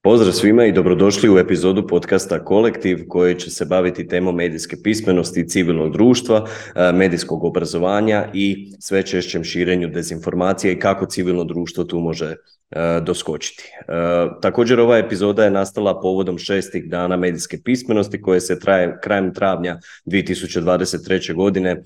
Pozdrav svima i dobrodošli u epizodu podcasta Kolektiv koji će se baviti temom medijske pismenosti civilnog društva, medijskog obrazovanja i sve češćem širenju dezinformacija i kako civilno društvo tu može doskočiti. Također ova epizoda je nastala povodom 6. dana medijske pismenosti koje se krajem travnja 2023. godine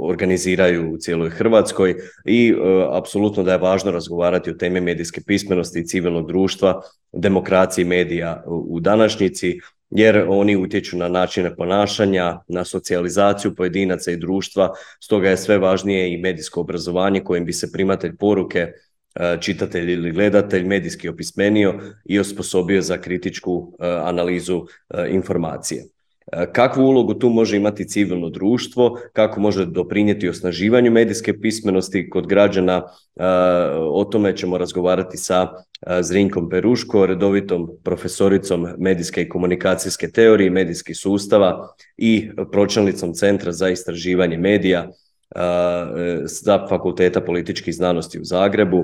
organiziraju u cijeloj Hrvatskoj i apsolutno da je važno razgovarati o temi medijske pismenosti i civilnog društva, demokraciji medija u današnjici, jer oni utječu na načine ponašanja, na socijalizaciju pojedinaca i društva, stoga je sve važnije i medijsko obrazovanje kojim bi se primatelj poruke, čitatelj ili gledatelj medijski opismenio i osposobio za kritičku analizu informacije. Kakvu ulogu tu može imati civilno društvo, kako može doprinijeti osnaživanju medijske pismenosti kod građana, o tome ćemo razgovarati sa Zrinkom Peruško, redovitom profesoricom medijske i komunikacijske teorije i medijskih sustava i pročelnicom Centra za istraživanje medija sa Fakulteta političkih znanosti u Zagrebu.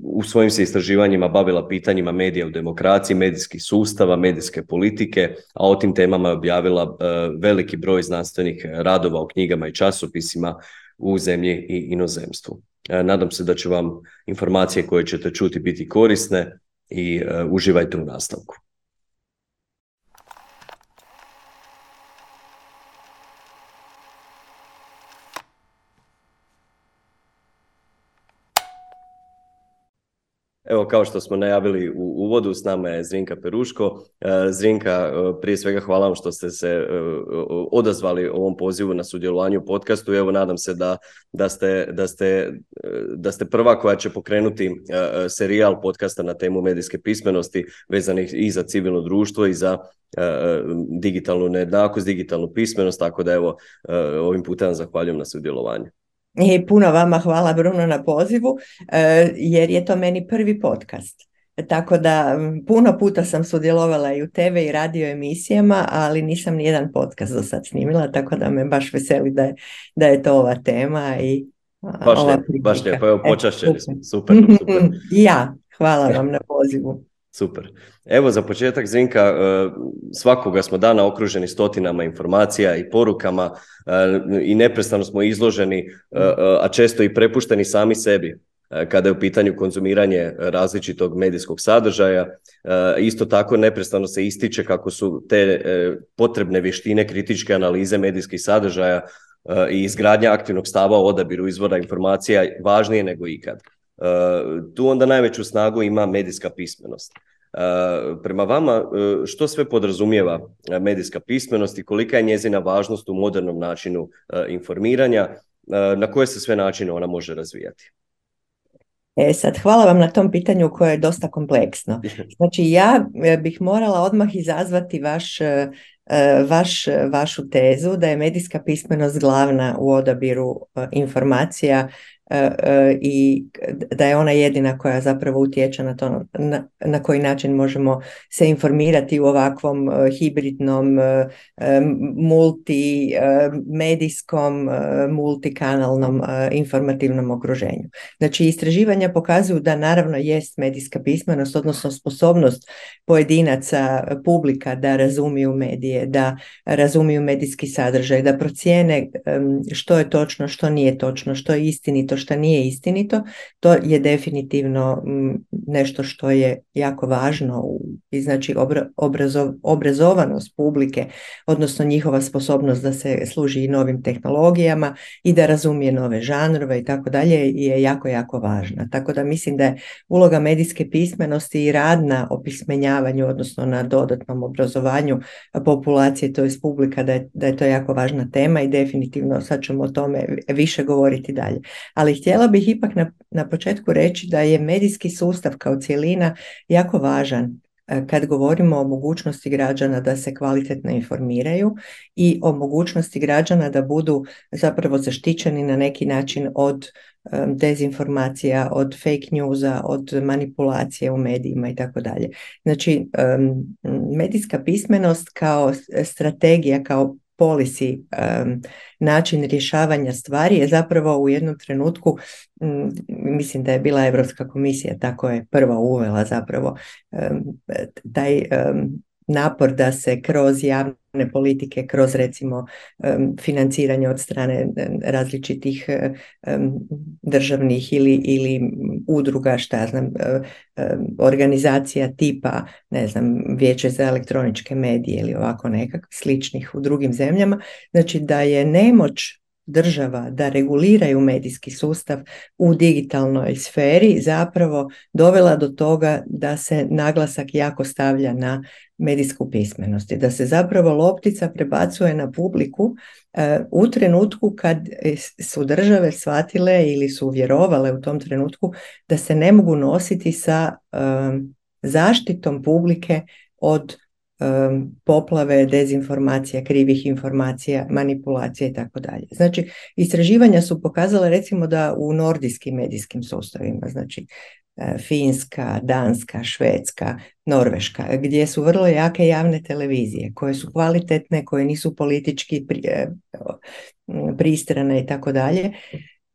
U svojim se istraživanjima bavila pitanjima medija u demokraciji, medijskih sustava, medijske politike, a o tim temama je objavila veliki broj znanstvenih radova u knjigama i časopisima u zemlji i inozemstvu. Nadam se da će vam informacije koje ćete čuti biti korisne i uživajte u nastavku. Evo, kao što smo najavili u uvodu, s nama je Zrinka Peruško. Zrinka, prije svega hvala vam što ste se odazvali ovom pozivu na sudjelovanje u podcastu. Evo, nadam se da ste prva koja će pokrenuti serijal podcasta na temu medijske pismenosti vezanih i za civilno društvo i za digitalnu nejednakost, digitalnu pismenost, tako da evo, ovim putem zahvaljujem na sudjelovanju. I puno vama hvala, Bruno, na pozivu, jer je to meni prvi podcast. Tako da puno puta sam sudjelovala i u TV i radio emisijama, ali nisam nijedan podcast do sad snimila, tako da me baš veseli da je to ova tema. I baš lijepo, evo, počašćeni smo. Super. Ja, hvala vam na pozivu. Super. Evo, za početak, Zrinka, svakoga smo dana okruženi stotinama informacija i porukama i neprestano smo izloženi, a često i prepušteni sami sebi kada je u pitanju konzumiranje različitog medijskog sadržaja. Isto tako neprestano se ističe kako su te potrebne vještine kritičke analize medijskih sadržaja i izgradnja aktivnog stava o odabiru izvora informacija važnije nego ikad. Tu onda najveću snagu ima medijska pismenost. Prema vama, što sve podrazumijeva medijska pismenost i kolika je njezina važnost u modernom načinu informiranja, na koje se sve načine ona može razvijati? Sad, hvala vam na tom pitanju koje je dosta kompleksno. Znači, ja bih morala odmah izazvati vašu tezu da je medijska pismenost glavna u odabiru informacija i da je ona jedina koja zapravo utječe na to na koji način možemo se informirati u ovakvom hibridnom, multimedijskom, multikanalnom informativnom okruženju. Znači, istraživanja pokazuju da naravno jest medijska pismenost, odnosno sposobnost pojedinaca, publika da razumiju medije, da razumiju medijski sadržaj, da procijene što je točno, što nije točno, što je istinito, što nije istinito. To je definitivno nešto što je jako važno i znači obrazovanost publike, odnosno njihova sposobnost da se služi i novim tehnologijama i da razumije nove žanrove i tako dalje je jako, jako važna. Tako da mislim da je uloga medijske pismenosti i rad na opismenjavanju, odnosno na dodatnom obrazovanju populacije, to jest publika, da je to jako važna tema i definitivno sad ćemo o tome više govoriti dalje. Ali htjela bih ipak na početku reći da je medijski sustav kao cjelina jako važan kad govorimo o mogućnosti građana da se kvalitetno informiraju i o mogućnosti građana da budu zapravo zaštićeni na neki način od dezinformacija, od fake newsa, od manipulacije u medijima i tako dalje. Znači, medijska pismenost kao strategija, kao policy način rješavanja stvari je zapravo u jednom trenutku, mislim da je bila Europska komisija, tako je prva uvela zapravo taj napor da se kroz javne politike, kroz recimo financiranje od strane različitih državnih ili udruga, šta ja znam, organizacija tipa, ne znam, Vijeće za elektroničke medije ili ovako nekakvih sličnih u drugim zemljama, znači da je nemoć država da reguliraju medijski sustav u digitalnoj sferi zapravo dovela do toga da se naglasak jako stavlja na medijsku pismenost i da se zapravo loptica prebacuje na publiku u trenutku kad su države shvatile ili su vjerovale u tom trenutku da se ne mogu nositi sa zaštitom publike od poplave, dezinformacija, krivih informacija, manipulacija i tako dalje. Znači, istraživanja su pokazala recimo da u nordijskim medijskim sustavima, znači Finska, Danska, Švedska, Norveška, gdje su vrlo jake javne televizije, koje su kvalitetne, koje nisu politički pristrane i tako dalje,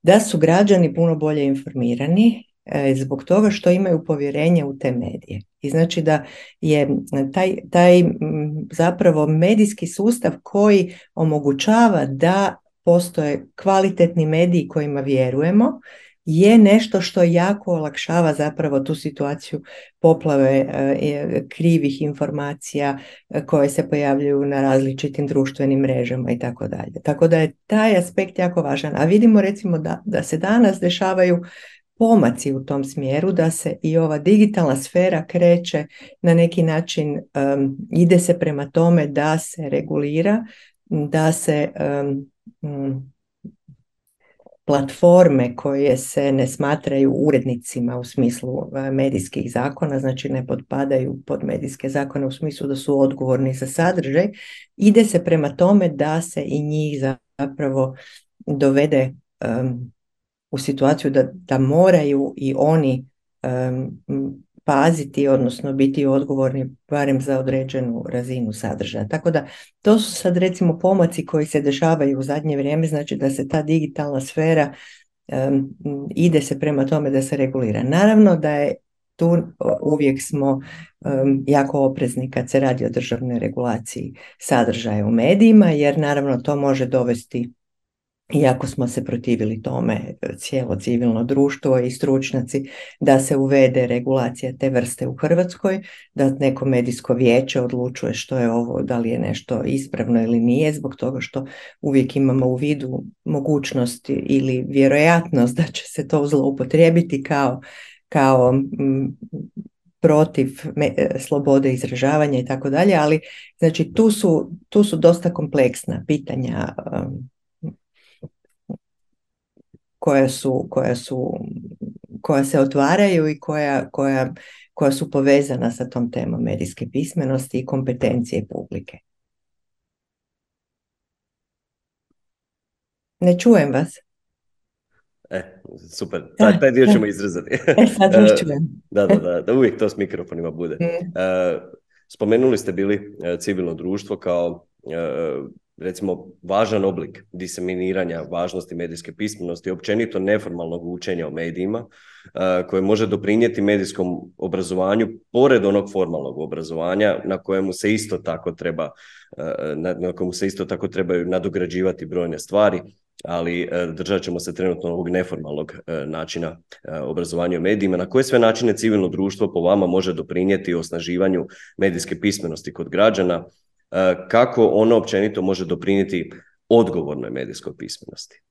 da su građani puno bolje informirani zbog toga što imaju povjerenje u te medije. I znači da je taj zapravo medijski sustav koji omogućava da postoje kvalitetni mediji kojima vjerujemo, je nešto što jako olakšava zapravo tu situaciju poplave krivih informacija koje se pojavljuju na različitim društvenim mrežama i tako dalje. Tako da je taj aspekt jako važan. A vidimo recimo da se danas dešavaju pomaci u tom smjeru, da se i ova digitalna sfera kreće na neki način, ide se prema tome da se regulira, da se platforme koje se ne smatraju urednicima u smislu medijskih zakona, znači ne potpadaju pod medijske zakone u smislu da su odgovorni za sadržaj, ide se prema tome da se i njih zapravo dovede u situaciju da moraju i oni paziti, odnosno biti odgovorni barem za određenu razinu sadržaja. Tako da to su sad recimo pomaci koji se dešavaju u zadnje vrijeme, znači da se ta digitalna sfera ide se prema tome da se regulira. Naravno da je tu uvijek smo jako oprezni kad se radi o državnoj regulaciji sadržaja u medijima, jer naravno to može dovesti, iako smo se protivili tome, cijelo civilno društvo i stručnjaci, da se uvede regulacija te vrste u Hrvatskoj, da neko medijsko vijeće odlučuje što je ovo, da li je nešto ispravno ili nije, zbog toga što uvijek imamo u vidu mogućnost ili vjerojatnost da će se to zloupotrijebiti kao protiv slobode izražavanja i tako dalje, ali znači tu su dosta kompleksna pitanja koja se otvaraju i koja su povezana sa tom temom medijske pismenosti i kompetencije publike. Ne čujem vas. Super, taj dio ćemo izrezati. Sad vas čujem. Da, uvijek to s mikrofonima bude. Spomenuli ste bili civilno društvo kao recimo važan oblik diseminiranja važnosti medijske pismenosti i općenito neformalnog učenja o medijima koje može doprinijeti medijskom obrazovanju pored onog formalnog obrazovanja na kojemu se isto tako trebaju nadograđivati brojne stvari, ali držat ćemo se trenutno ovog neformalnog načina obrazovanja o medijima. Na koje sve načine civilno društvo po vama može doprinijeti osnaživanju medijske pismenosti kod građana? Kako ono općenito može doprinijeti odgovornoj medijskoj pismenosti?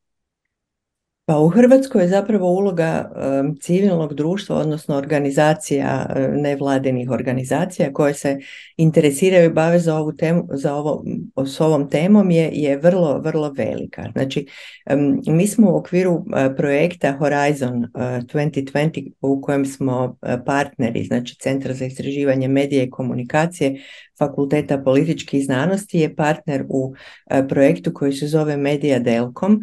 Pa u Hrvatskoj je zapravo uloga civilnog društva, odnosno organizacija, nevladinih organizacija koje se interesiraju i bave za ovu temu, s ovom temom je vrlo, vrlo velika. Znači, mi smo u okviru projekta Horizon 2020 u kojem smo partneri, znači Centar za istraživanje medija i komunikacije, Fakulteta političkih znanosti je partner u projektu koji se zove Media Delcom,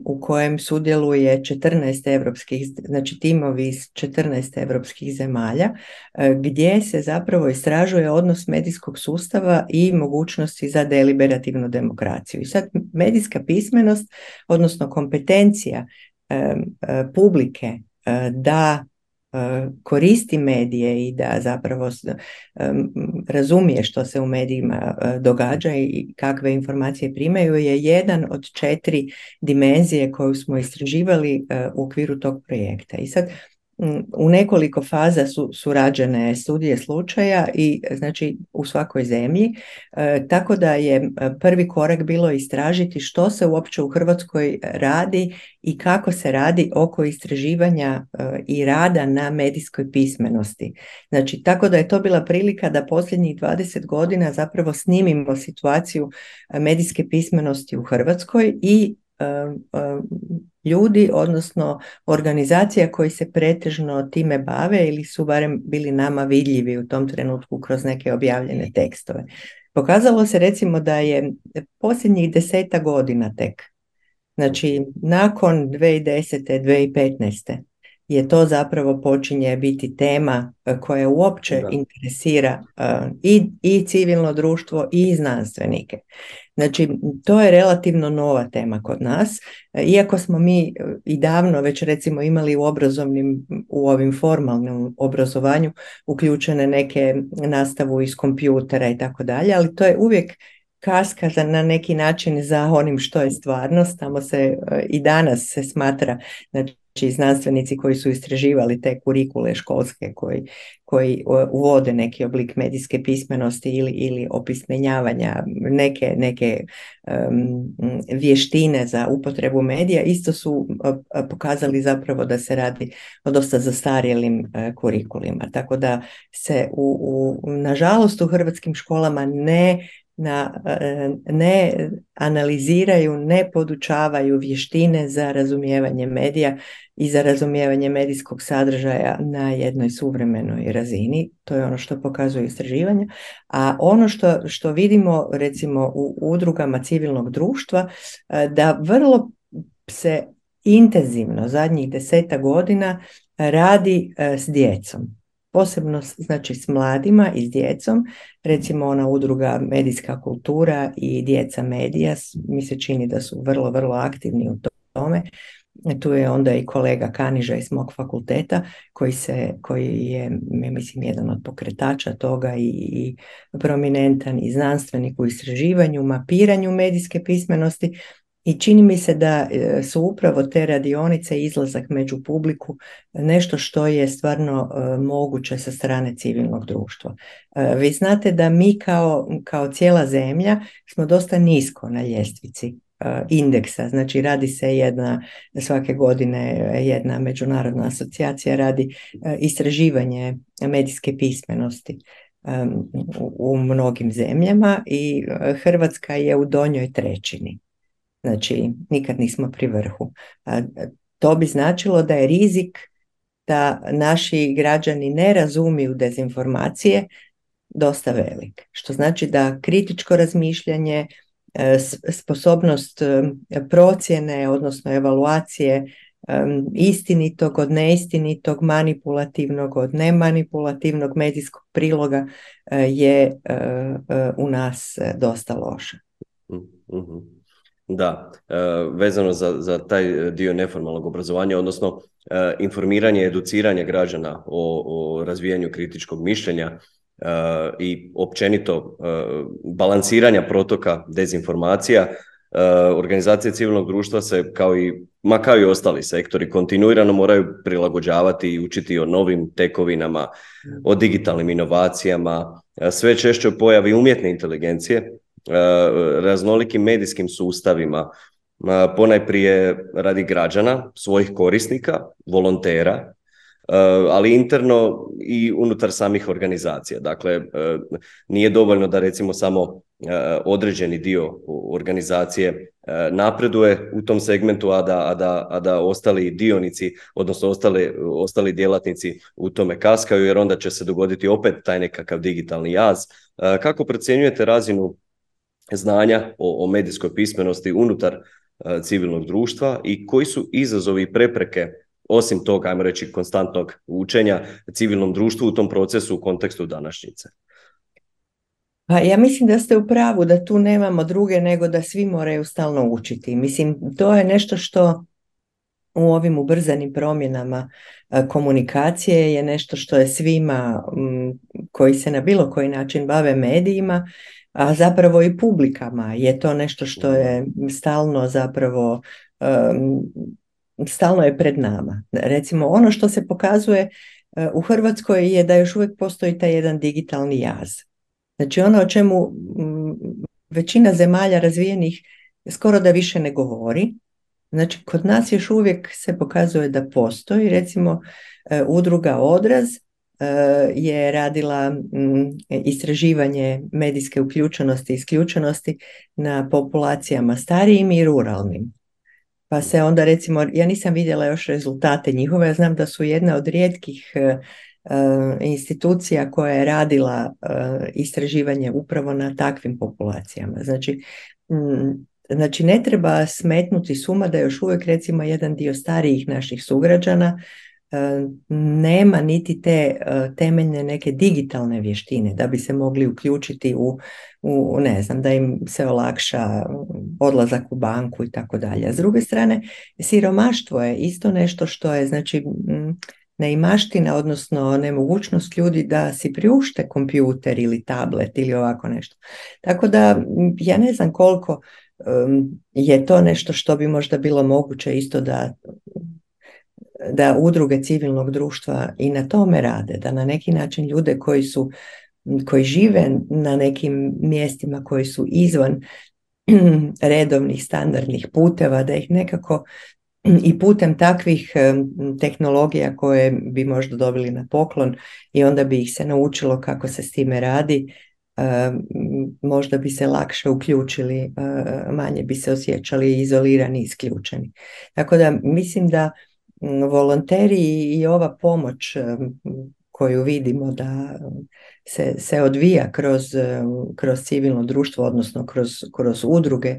u kojem sudjeluje 14 evropskih, znači timovi iz 14 evropskih zemalja, gdje se zapravo istražuje odnos medijskog sustava i mogućnosti za deliberativnu demokraciju. I sad medijska pismenost, odnosno kompetencija publike da koristi medije i da zapravo razumije što se u medijima događa i kakve informacije primaju je jedan od 4 dimenzije koju smo istraživali u okviru tog projekta. I sad u nekoliko faza su rađene studije slučaja i znači u svakoj zemlji, tako da je prvi korak bilo istražiti što se uopće u Hrvatskoj radi i kako se radi oko istraživanja i rada na medijskoj pismenosti. Znači, tako da je to bila prilika da posljednjih 20 godina zapravo snimimo situaciju medijske pismenosti u Hrvatskoj i ljudi, odnosno organizacija koji se pretežno time bave ili su barem bili nama vidljivi u tom trenutku kroz neke objavljene tekstove. Pokazalo se recimo da je posljednjih 10 godina tek, znači nakon 2010. 2015. je to zapravo počinje biti tema koja uopće interesira i civilno društvo i znanstvenike. Znači, to je relativno nova tema kod nas, iako smo mi i davno već recimo imali u ovim formalnom obrazovanju uključene neke nastavu iz kompjutera i tako dalje, ali to je uvijek kaska na neki način za onim što je stvarnost. Tamo se i danas se smatra, znači znanstvenici koji su istraživali te kurikule školske koji uvode neki oblik medijske pismenosti ili opismenjavanja, neke vještine za upotrebu medija, isto su pokazali zapravo da se radi o dosta zastarjelim kurikulima. Tako da se nažalost u hrvatskim školama ne analiziraju, ne podučavaju vještine za razumijevanje medija i za razumijevanje medijskog sadržaja na jednoj suvremenoj razini. To je ono što pokazuju istraživanja. A ono što vidimo recimo u udrugama civilnog društva, da vrlo se intenzivno zadnjih 10 godina radi s djecom. Posebno znači s mladima i s djecom, recimo ona udruga Medijska kultura i Djeca medija, mi se čini da su vrlo, vrlo aktivni u tome. Tu je onda i kolega Kaniža iz mog fakulteta koji je, mislim, jedan od pokretača toga i prominentan i znanstvenik u istraživanju, mapiranju medijske pismenosti. I čini mi se da su upravo te radionice i izlazak među publiku nešto što je stvarno moguće sa strane civilnog društva. Vi znate da mi kao cijela zemlja smo dosta nisko na ljestvici indeksa, znači radi se svake godine jedna međunarodna asocijacija radi istraživanje medijske pismenosti u mnogim zemljama i Hrvatska je u donjoj trećini. Znači, nikad nismo pri vrhu. To bi značilo da je rizik da naši građani ne razumiju dezinformacije dosta velik. Što znači da kritičko razmišljanje, sposobnost procjene, odnosno evaluacije istinitog od neistinitog, manipulativnog od nemanipulativnog medijskog priloga je u nas dosta loša. Mm-hmm. Da, vezano za taj dio neformalnog obrazovanja, odnosno informiranje i educiranje građana o razvijanju kritičkog mišljenja i općenito balansiranja protoka dezinformacija, organizacije civilnog društva se kao i ostali sektori kontinuirano moraju prilagođavati i učiti o novim tekovinama, o digitalnim inovacijama, sve češće o pojavi umjetne inteligencije, raznolikim medijskim sustavima, ponajprije radi građana, svojih korisnika, volontera, ali interno i unutar samih organizacija. Dakle, nije dovoljno da recimo samo određeni dio organizacije napreduje u tom segmentu, a da ostali dionici, odnosno ostali djelatnici u tome kaskaju, jer onda će se dogoditi opet taj nekakav digitalni jaz. Kako procjenjujete razinu znanja o medijskoj pismenosti unutar civilnog društva i koji su izazovi i prepreke, osim toga, ajmo reći, konstantnog učenja civilnom društvu u tom procesu u kontekstu današnjice? Pa ja mislim da ste u pravu, da tu nemamo druge nego da svi moraju stalno učiti. Mislim, to je nešto što u ovim ubrzanim promjenama komunikacije je nešto što je svima koji se na bilo koji način bave medijima, a zapravo i publikama je to nešto što je stalno zapravo stalno je pred nama. Recimo, ono što se pokazuje u Hrvatskoj je da još uvijek postoji taj jedan digitalni jaz. Znači ono o čemu većina zemalja razvijenih skoro da više ne govori. Znači kod nas još uvijek se pokazuje da postoji. Recimo udruga Odraz je radila istraživanje medijske uključenosti i isključenosti na populacijama starijim i ruralnim. Pa se onda recimo, ja nisam vidjela još rezultate njihove, ja znam da su jedna od rijetkih institucija koja je radila istraživanje upravo na takvim populacijama. Znači ne treba smetnuti s uma da još uvijek recimo jedan dio starijih naših sugrađana nema niti te temeljne neke digitalne vještine da bi se mogli uključiti u ne znam, da im se olakša odlazak u banku i tako dalje. A s druge strane, siromaštvo je isto nešto što je, znači, neimaština, odnosno nemogućnost ljudi da si priušte kompjuter ili tablet ili ovako nešto. Tako da ja ne znam koliko je to nešto što bi možda bilo moguće isto da udruge civilnog društva i na tome rade, da na neki način ljude koji žive na nekim mjestima koji su izvan redovnih standardnih puteva, da ih nekako i putem takvih tehnologija koje bi možda dobili na poklon i onda bi ih se naučilo kako se s time radi, možda bi se lakše uključili, manje bi se osjećali izolirani i isključeni. Tako da mislim da volonteri i ova pomoć koju vidimo da se odvija kroz civilno društvo, odnosno kroz udruge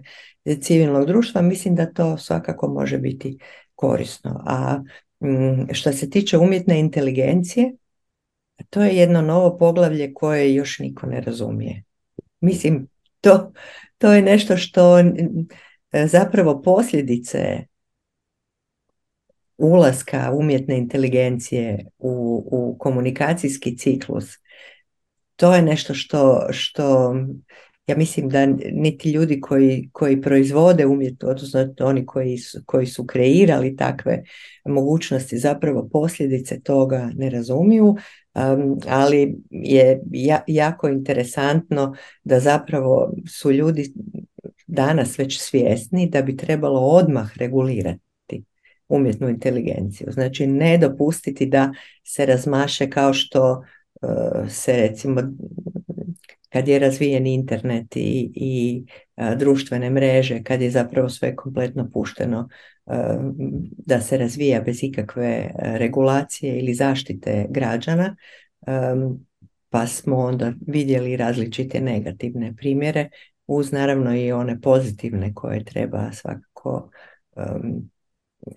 civilnog društva, mislim da to svakako može biti korisno. A što se tiče umjetne inteligencije, to je jedno novo poglavlje koje još niko ne razumije. Mislim, to je nešto što zapravo posljedice ulaska umjetne inteligencije u komunikacijski ciklus, to je nešto što ja mislim da niti ljudi koji proizvode umjetno, odnosno oni koji su kreirali takve mogućnosti, zapravo posljedice toga ne razumiju, ali je jako interesantno da zapravo su ljudi danas već svjesni da bi trebalo odmah regulirati umjetnu inteligenciju. Znači ne dopustiti da se razmaše kao što se recimo kad je razvijen internet i društvene mreže, kad je zapravo sve kompletno pušteno da se razvija bez ikakve regulacije ili zaštite građana, pa smo onda vidjeli različite negativne primjere uz naravno i one pozitivne koje treba svakako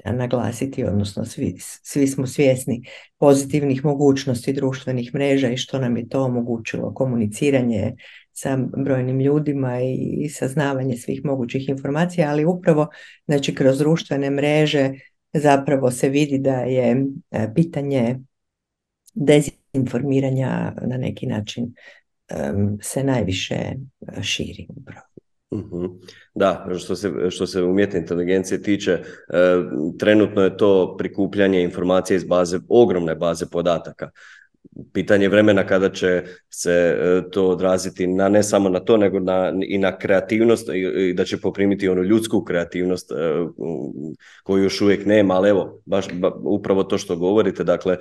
naglasiti, odnosno svi smo svjesni pozitivnih mogućnosti društvenih mreža i što nam je to omogućilo, komuniciranje sa brojnim ljudima i saznavanje svih mogućih informacija, ali upravo znači kroz društvene mreže zapravo se vidi da je pitanje dezinformiranja na neki način se najviše širi upravo. Da, što se umjetne inteligencije tiče, trenutno je to prikupljanje informacija iz ogromne baze podataka. pitanje vremena kada će se to odraziti na ne samo na to, nego i na kreativnost i da će poprimiti onu ljudsku kreativnost koju još uvijek nema, ali evo, baš upravo to što govorite, dakle,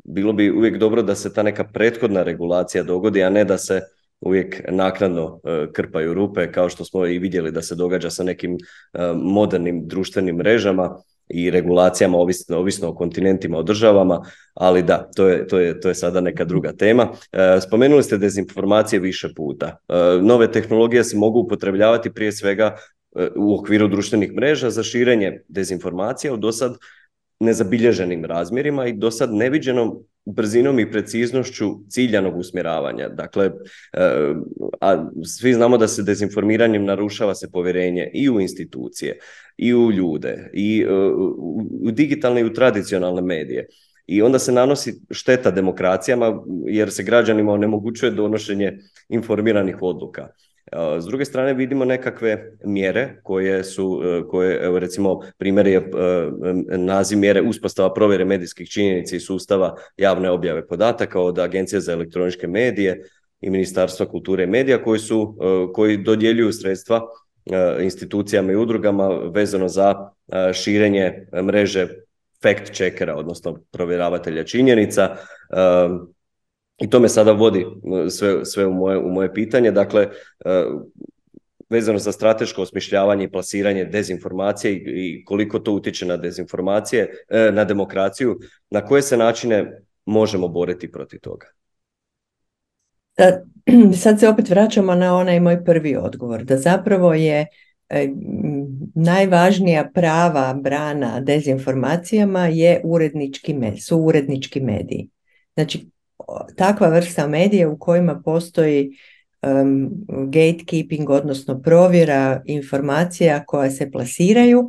bilo bi uvijek dobro da se ta neka prethodna regulacija dogodi, a ne da se uvijek naknadno krpaju rupe, kao što smo i vidjeli da se događa sa nekim modernim društvenim mrežama i regulacijama, ovisno o kontinentima, o državama, ali da, to je sada neka druga tema. Spomenuli ste dezinformacije više puta. Nove tehnologije se mogu upotrebljavati prije svega u okviru društvenih mreža za širenje dezinformacija u dosad nezabilježenim razmjerima i dosad neviđenom brzinom i preciznošću ciljanog usmjeravanja. Dakle, a svi znamo da se dezinformiranjem narušava se povjerenje i u institucije, i u ljude, i u digitalne i u tradicionalne medije. I onda se nanosi šteta demokracijama jer se građanima onemogućuje donošenje informiranih odluka. S druge strane vidimo nekakve mjere koje evo recimo primjer je naziv mjere uspostava provjere medijskih činjenica i sustava javne objave podataka od Agencije za elektroničke medije i Ministarstva kulture i medija koji dodjeljuju sredstva institucijama i udrugama vezano za širenje mreže fact checkera, odnosno provjeravatelja činjenica. I to me sada vodi sve u moje pitanje. Dakle, vezano za strateško osmišljavanje i plasiranje dezinformacije i koliko to utječe na dezinformacije, na demokraciju, na koje se načine možemo boriti protiv toga? Sad se opet vraćamo na onaj moj prvi odgovor, da zapravo je najvažnija prava brana dezinformacijama su urednički mediji. Znači, takva vrsta medija u kojima postoji gatekeeping, odnosno provjera informacija koja se plasiraju,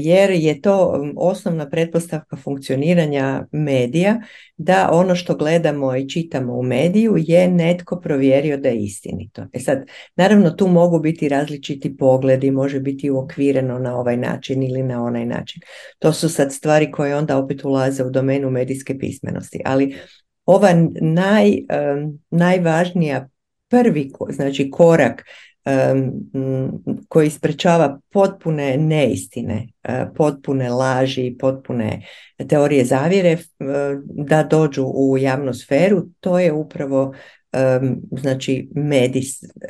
jer je to osnovna pretpostavka funkcioniranja medija, da ono što gledamo i čitamo u mediju je netko provjerio da je istinito. Sad, naravno tu mogu biti različiti pogledi, može biti uokvireno na ovaj način ili na onaj način. To su sad stvari koje onda opet ulaze u domenu medijske pismenosti, ali ova najvažnija znači korak koji sprečava potpune neistine, potpune laži, potpune teorije zavjere da dođu u javnu sferu, to je upravo znači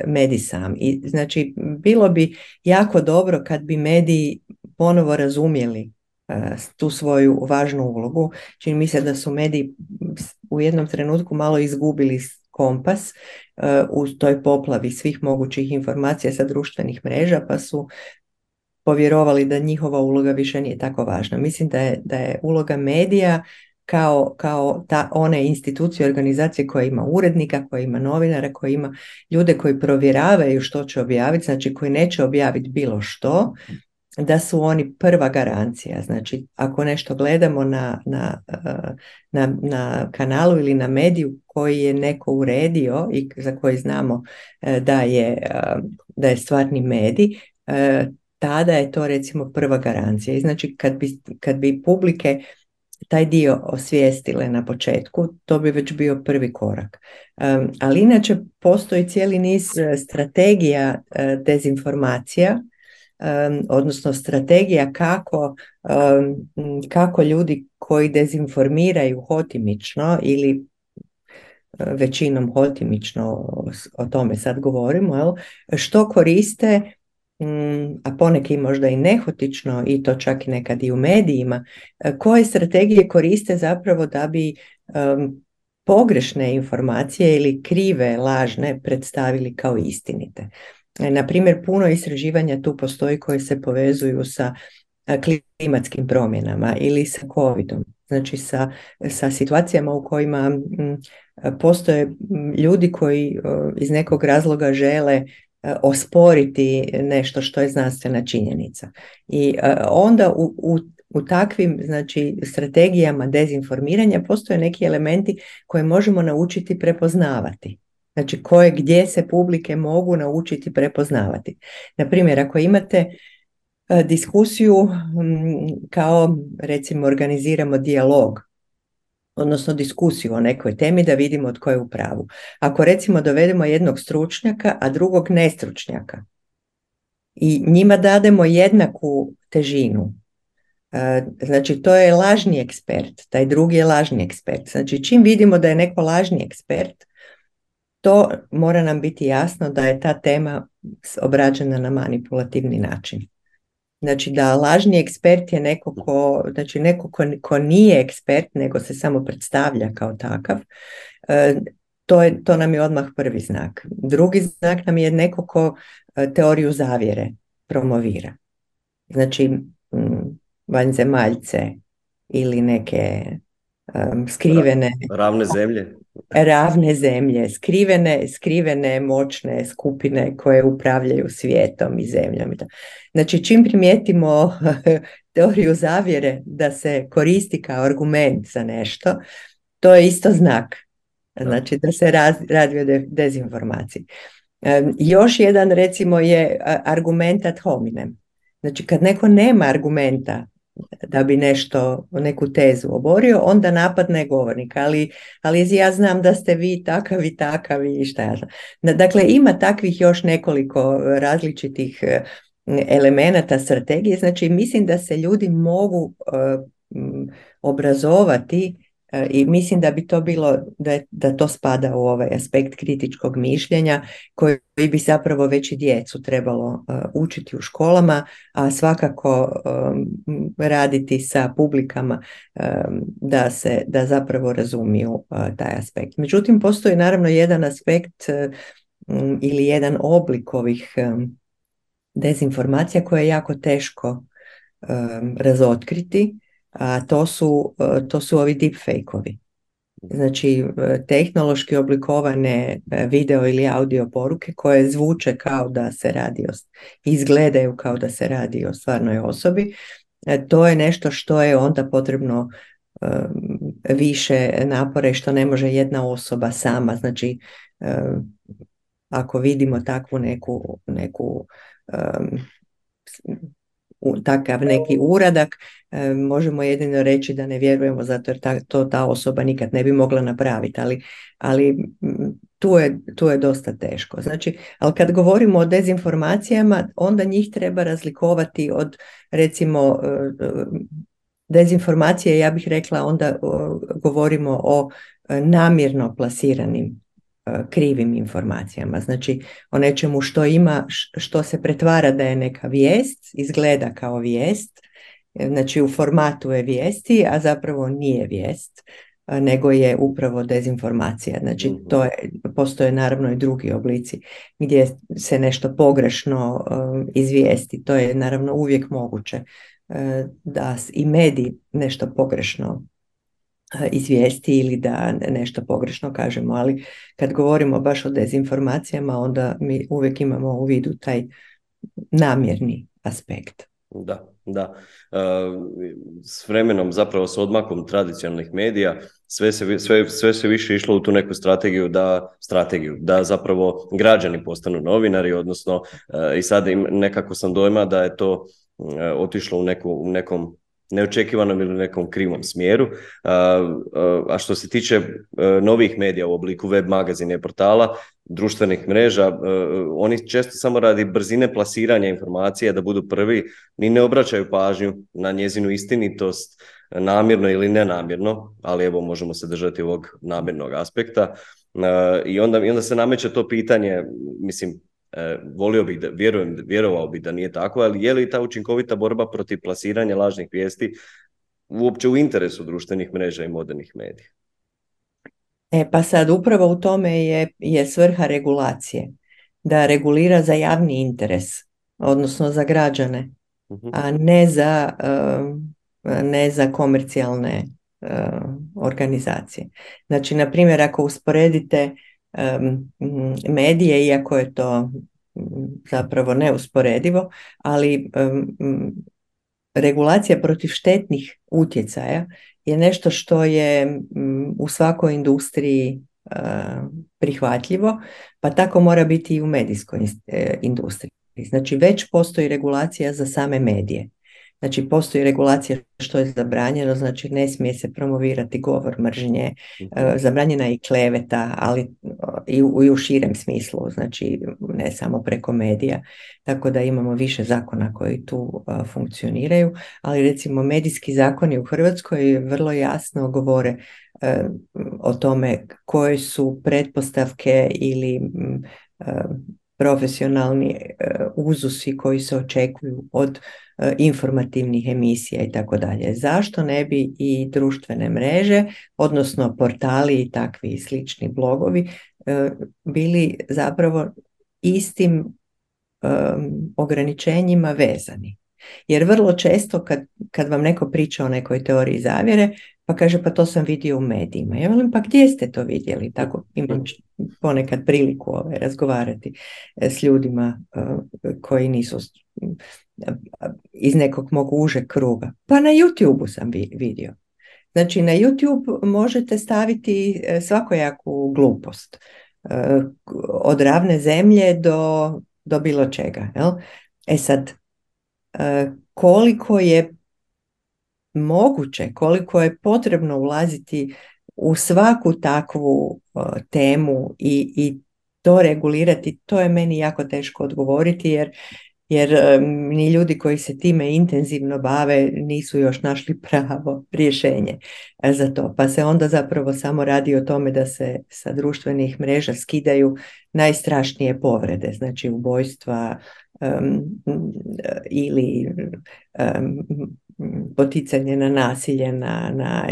medij sam. I znači bilo bi jako dobro kad bi mediji ponovo razumjeli tu svoju važnu ulogu. Čini mi se da su mediji u jednom trenutku malo izgubili kompas u toj poplavi svih mogućih informacija sa društvenih mreža, pa su povjerovali da njihova uloga više nije tako važna. Mislim da je uloga medija kao one institucije, organizacije koja ima urednika, koja ima novinara, koja ima ljude koji provjeravaju što će objaviti, znači koji neće objaviti bilo što, da su oni prva garancija. Znači, ako nešto gledamo na kanalu ili na mediju koji je neko uredio i za koji znamo da je stvarni medij, tada je to recimo prva garancija. I znači, kad bi publike taj dio osvijestile na početku, to bi već bio prvi korak. Ali inače postoji cijeli niz strategija dezinformacija, odnosno strategija kako ljudi koji dezinformiraju hotimično ili većinom hotimično, o tome sad govorimo, što koriste, a poneki možda i nehotično, i to čak i nekad i u medijima, koje strategije koriste zapravo da bi pogrešne informacije ili krive, lažne predstavili kao istinite. Na primjer, puno istraživanja tu postoji koji se povezuju sa klimatskim promjenama ili sa covidom. Znači sa situacijama u kojima postoje ljudi koji iz nekog razloga žele osporiti nešto što je znanstvena činjenica. I onda u takvim, znači, strategijama dezinformiranja postoje neki elementi koje možemo naučiti prepoznavati. Znači gdje se publike mogu naučiti prepoznavati. Naprimjer, ako imate diskusiju kao recimo organiziramo dijalog odnosno diskusiju o nekoj temi da vidimo tko je u pravu. Ako recimo dovedemo jednog stručnjaka, a drugog nestručnjaka i njima dademo jednaku težinu, znači to je lažni ekspert, taj drugi je lažni ekspert. Znači čim vidimo da je neko lažni ekspert, to mora nam biti jasno da je ta tema obrađena na manipulativni način. Znači da lažni ekspert je neko ko nije ekspert, nego se samo predstavlja kao takav. To nam je odmah prvi znak. Drugi znak nam je neko ko teoriju zavjere promovira. Znači vanzemaljce ili neke skrivene ravne zemlje, skrivene moćne skupine koje upravljaju svijetom i zemljom. Znači čim primijetimo teoriju zavjere da se koristi kao argument za nešto, to je isto znak. Znači da se radi o dezinformaciji. Još jedan recimo je argument ad hominem. Znači kad neko nema argumenta da bi neku tezu oborio, onda napadne govornika, ali ja znam da ste vi takavi i šta ja znam. Dakle, ima takvih još nekoliko različitih elemenata strategije, znači mislim da se ljudi mogu obrazovati i mislim da bi to bilo, da to spada u ovaj aspekt kritičkog mišljenja koji bi zapravo već i djecu trebalo učiti u školama, a svakako raditi sa publikama da zapravo razumiju taj aspekt. Međutim, postoji naravno jedan aspekt ili jedan oblik ovih dezinformacija koje je jako teško razotkriti, a to su ovi deepfake-ovi. Znači, tehnološki oblikovane video ili audio poruke koje zvuče kao da se radi izgledaju kao da se radi o stvarnoj osobi. To je nešto što je onda potrebno više napora i što ne može jedna osoba sama. Znači, ako vidimo takvu neku takav neki uradak, možemo jedino reći da ne vjerujemo zato jer ta osoba nikad ne bi mogla napraviti, ali tu je dosta teško. Znači, ali kad govorimo o dezinformacijama, onda njih treba razlikovati od recimo dezinformacije, ja bih rekla onda govorimo o namjerno plasiranim krivim informacijama, znači o nečemu što se pretvara da je neka vijest, izgleda kao vijest, znači u formatu je vijesti, a zapravo nije vijest, nego je upravo dezinformacija. Znači postoje naravno i drugi oblici gdje se nešto pogrešno izvijesti, to je naravno uvijek moguće da i mediji nešto pogrešno izvijesti ili da nešto pogrešno kažemo, ali kad govorimo baš o dezinformacijama, onda mi uvijek imamo u vidu taj namjerni aspekt. Da. S vremenom, zapravo s odmakom tradicionalnih medija, sve se više išlo u tu neku strategiju da zapravo građani postanu novinari, odnosno i sad nekako sam dojma da je to otišlo u nekom neočekivanom ili nekom krivom smjeru. A što se tiče novih medija u obliku web magazina i portala, društvenih mreža, oni često samo radi brzine plasiranja informacija da budu prvi, ni ne obraćaju pažnju na njezinu istinitost, namjerno ili nenamjerno, ali evo možemo se držati ovog namjernog aspekta. I onda se nameće to pitanje, mislim, volio bih vjerovao bih da nije tako, ali je li ta učinkovita borba protiv plasiranja lažnih vijesti uopće u interesu društvenih mreža i modernih medija? Pa sad upravo u tome je svrha regulacije, da regulira za javni interes, odnosno za građane, a ne za komercijalne organizacije. Znači, na primjer, ako usporedite medije, iako je to zapravo neusporedivo, ali regulacija protiv štetnih utjecaja je nešto što je u svakoj industriji prihvatljivo, pa tako mora biti i u medijskoj industriji. Znači već postoji regulacija za same medije. Znači postoji regulacija što je zabranjeno, znači ne smije se promovirati govor mržnje, zabranjena je i kleveta, ali i u širem smislu, znači ne samo preko medija, tako da imamo više zakona koji tu funkcioniraju, ali recimo medijski zakoni u Hrvatskoj vrlo jasno govore o tome koje su pretpostavke ili profesionalni uzusi koji se očekuju od informativnih emisija i tako dalje. Zašto ne bi i društvene mreže, odnosno portali i takvi slični blogovi bili zapravo istim ograničenjima vezani? Jer vrlo često kad vam neko priča o nekoj teoriji zavjere, pa kaže pa to sam vidio u medijima. Ja velim pa gdje ste to vidjeli? Tako imam ponekad priliku razgovarati s ljudima koji nisu iz nekog mog užeg kruga. Pa na YouTube-u sam vidio. Znači na YouTube možete staviti svakojaku glupost. Od ravne zemlje do bilo čega. Jel? E sad, koliko je moguće, koliko je potrebno ulaziti u svaku takvu temu i to regulirati, to je meni jako teško odgovoriti jer ni ljudi koji se time intenzivno bave nisu još našli pravo rješenje za to. Pa se onda zapravo samo radi o tome da se sa društvenih mreža skidaju najstrašnije povrede, znači ubojstva ili poticanje na nasilje, na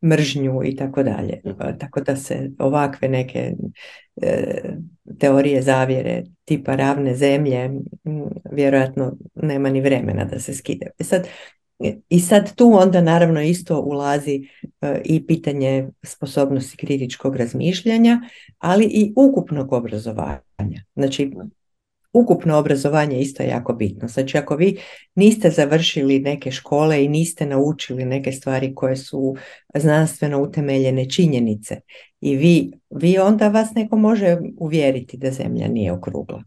mržnju i tako dalje. Tako da se ovakve neke teorije zavjere tipa ravne zemlje vjerojatno nema ni vremena da se skide. I sad tu onda naravno isto ulazi i pitanje sposobnosti kritičkog razmišljanja, ali i ukupnog obrazovanja. Znači, ukupno obrazovanje isto je jako bitno. Znači, ako vi niste završili neke škole i niste naučili neke stvari koje su znanstveno utemeljene činjenice i vi onda vas neko može uvjeriti da zemlja nije okrugla.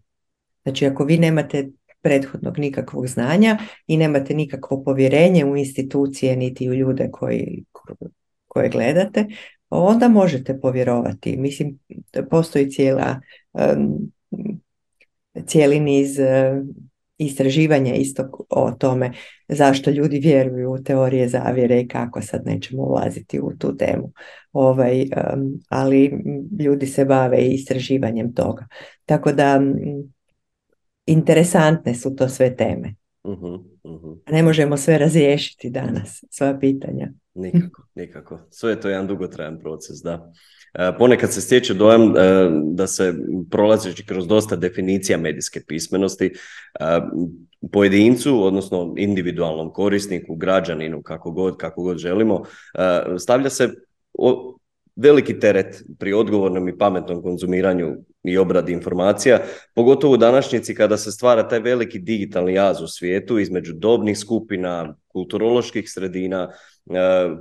Znači, ako vi nemate prethodnog nikakvog znanja i nemate nikakvo povjerenje u institucije niti u ljude koje gledate, onda možete povjerovati. Mislim, postoji cijeli niz istraživanja isto o tome zašto ljudi vjeruju u teorije zavjere i kako, sad nećemo ulaziti u tu temu. Ali ljudi se bave istraživanjem toga. Tako da interesantne su to sve teme. Ne možemo sve razriješiti danas, sva pitanja. Nikako. Sve je to jedan dugotrajan proces, da. Ponekad se stječe dojam da se prolazeći kroz dosta definicija medijske pismenosti pojedincu, odnosno individualnom korisniku, građaninu, kako god želimo, stavlja se veliki teret pri odgovornom i pametnom konzumiranju i obradi informacija, pogotovo u današnjici kada se stvara taj veliki digitalni jaz u svijetu između dobnih skupina, kulturoloških sredina.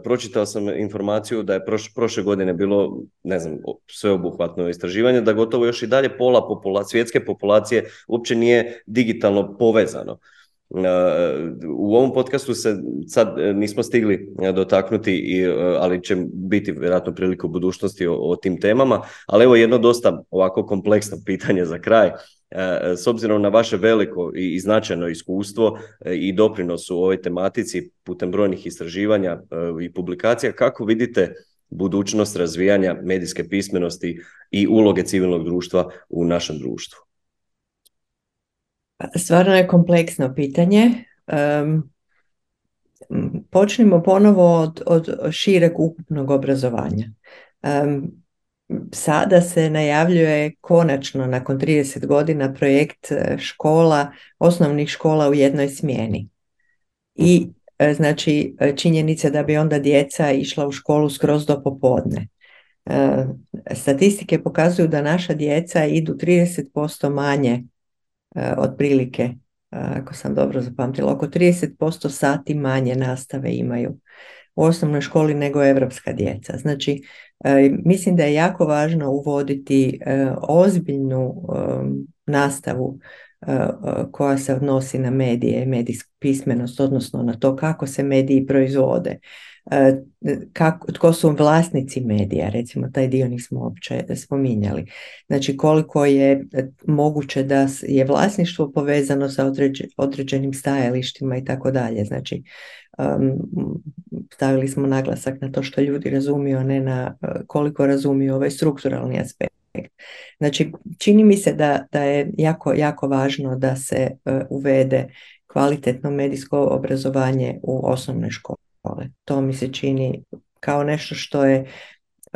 Pročitao sam informaciju da je prošle godine bilo, ne znam, sveobuhvatno istraživanje, da gotovo još i dalje pola svjetske populacije uopće nije digitalno povezano. U ovom podcastu se sad nismo stigli dotaknuti, ali će biti vjerojatno prilike u budućnosti o tim temama, ali evo jedno dosta ovako kompleksno pitanje za kraj. S obzirom na vaše veliko i značajno iskustvo i doprinos u ovoj tematici putem brojnih istraživanja i publikacija, kako vidite budućnost razvijanja medijske pismenosti i uloge civilnog društva u našem društvu? Stvarno je kompleksno pitanje. Počnimo ponovo od šireg ukupnog obrazovanja. Sada se najavljuje konačno nakon 30 godina projekt osnovnih škola u jednoj smjeni. I znači činjenica da bi onda djeca išla u školu skroz do popodne. Statistike pokazuju da naša djeca idu 30% manje otprilike, ako sam dobro zapamtila, oko 30% sati manje nastave imaju u osnovnoj školi nego evropska djeca. Znači, mislim da je jako važno uvoditi ozbiljnu nastavu koja se odnosi na medije i medijsku pismenost, odnosno na to kako se mediji proizvode, tko su vlasnici medija, recimo taj dio nismo uopće spominjali. Znači koliko je moguće da je vlasništvo povezano sa određenim stajalištima i tako dalje. Znači stavili smo naglasak na to što ljudi razumiju, a ne na koliko razumiju ovaj strukturalni aspekt. Znači čini mi se da je jako, jako važno da se uvede kvalitetno medijsko obrazovanje u osnovne škole. To mi se čini kao nešto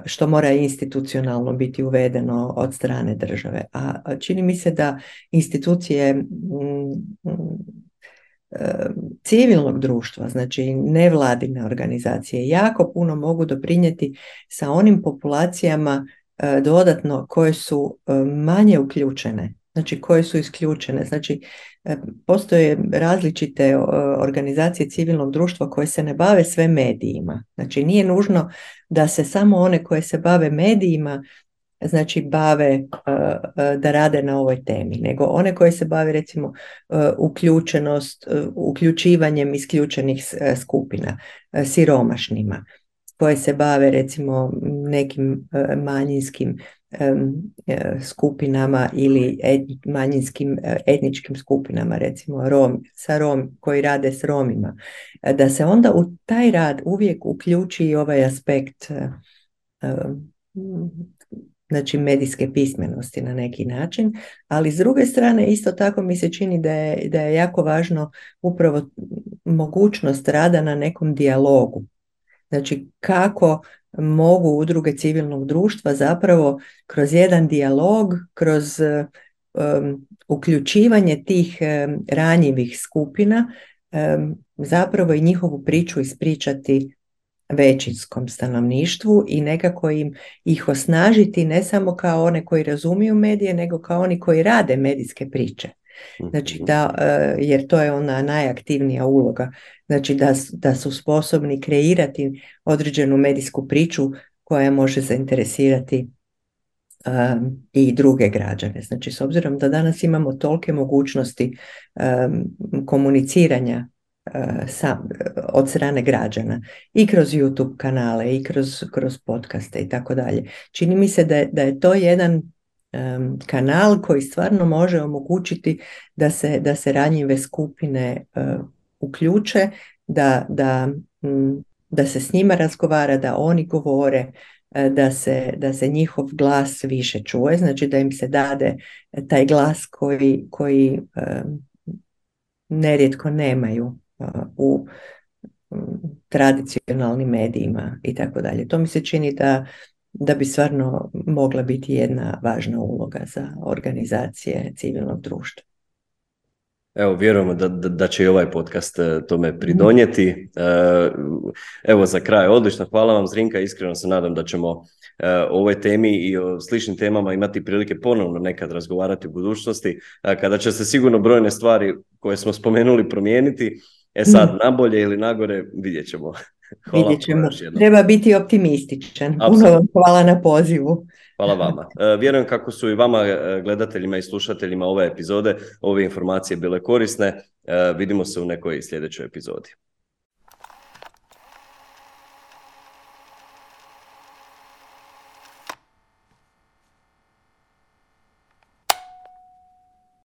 što mora institucionalno biti uvedeno od strane države. A čini mi se da institucije civilnog društva, znači nevladine organizacije, jako puno mogu doprinijeti sa onim populacijama dodatno koje su manje uključene, znači koje su isključene. Znači postoje različite organizacije civilnog društva koje se ne bave sve medijima. Znači nije nužno da se samo one koje se bave medijima znači bave da rade na ovoj temi, nego one koje se bave recimo uključivanjem isključenih skupina, siromašnima, koje se bave recimo nekim manjinskim skupinama ili manjinskim etničkim skupinama, recimo koji rade s Romima, da se onda u taj rad uvijek uključi i ovaj aspekt znači medijske pismenosti na neki način, ali s druge strane isto tako mi se čini da je jako važno upravo mogućnost rada na nekom dijalogu. Znači kako mogu udruge civilnog društva zapravo kroz jedan dijalog, kroz uključivanje tih ranjivih skupina zapravo i njihovu priču ispričati većinskom stanovništvu i nekako ih osnažiti ne samo kao one koji razumiju medije, nego kao oni koji rade medijske priče. Znači jer to je ona najaktivnija uloga, znači da su sposobni kreirati određenu medijsku priču koja može zainteresirati i druge građane. Znači s obzirom da danas imamo tolike mogućnosti komuniciranja od strane građana i kroz YouTube kanale i kroz podcaste i tako dalje. Čini mi se da je to jedan kanal koji stvarno može omogućiti da se ranjive skupine uključe, da se s njima razgovara, da oni govore, da se njihov glas više čuje, znači da im se dade taj glas koji nerijetko nemaju u tradicionalnim medijima i tako dalje. To mi se čini da bi stvarno mogla biti jedna važna uloga za organizacije civilnog društva. Evo, vjerujemo da će i ovaj podcast tome pridonijeti. Evo za kraj, odlično, hvala vam Zrinka, iskreno se nadam da ćemo o ovoj temi i o sličnim temama imati prilike ponovno nekad razgovarati u budućnosti, kada će se sigurno brojne stvari koje smo spomenuli promijeniti. Sad, nabolje ili nagore, vidjet ćemo. Vidjet ćemo. Treba biti optimističan. Puno vam hvala na pozivu. Hvala vama. Vjerujem kako su i vama, gledateljima i slušateljima ove epizode, ove informacije bile korisne. Vidimo se u nekoj sljedećoj epizodi.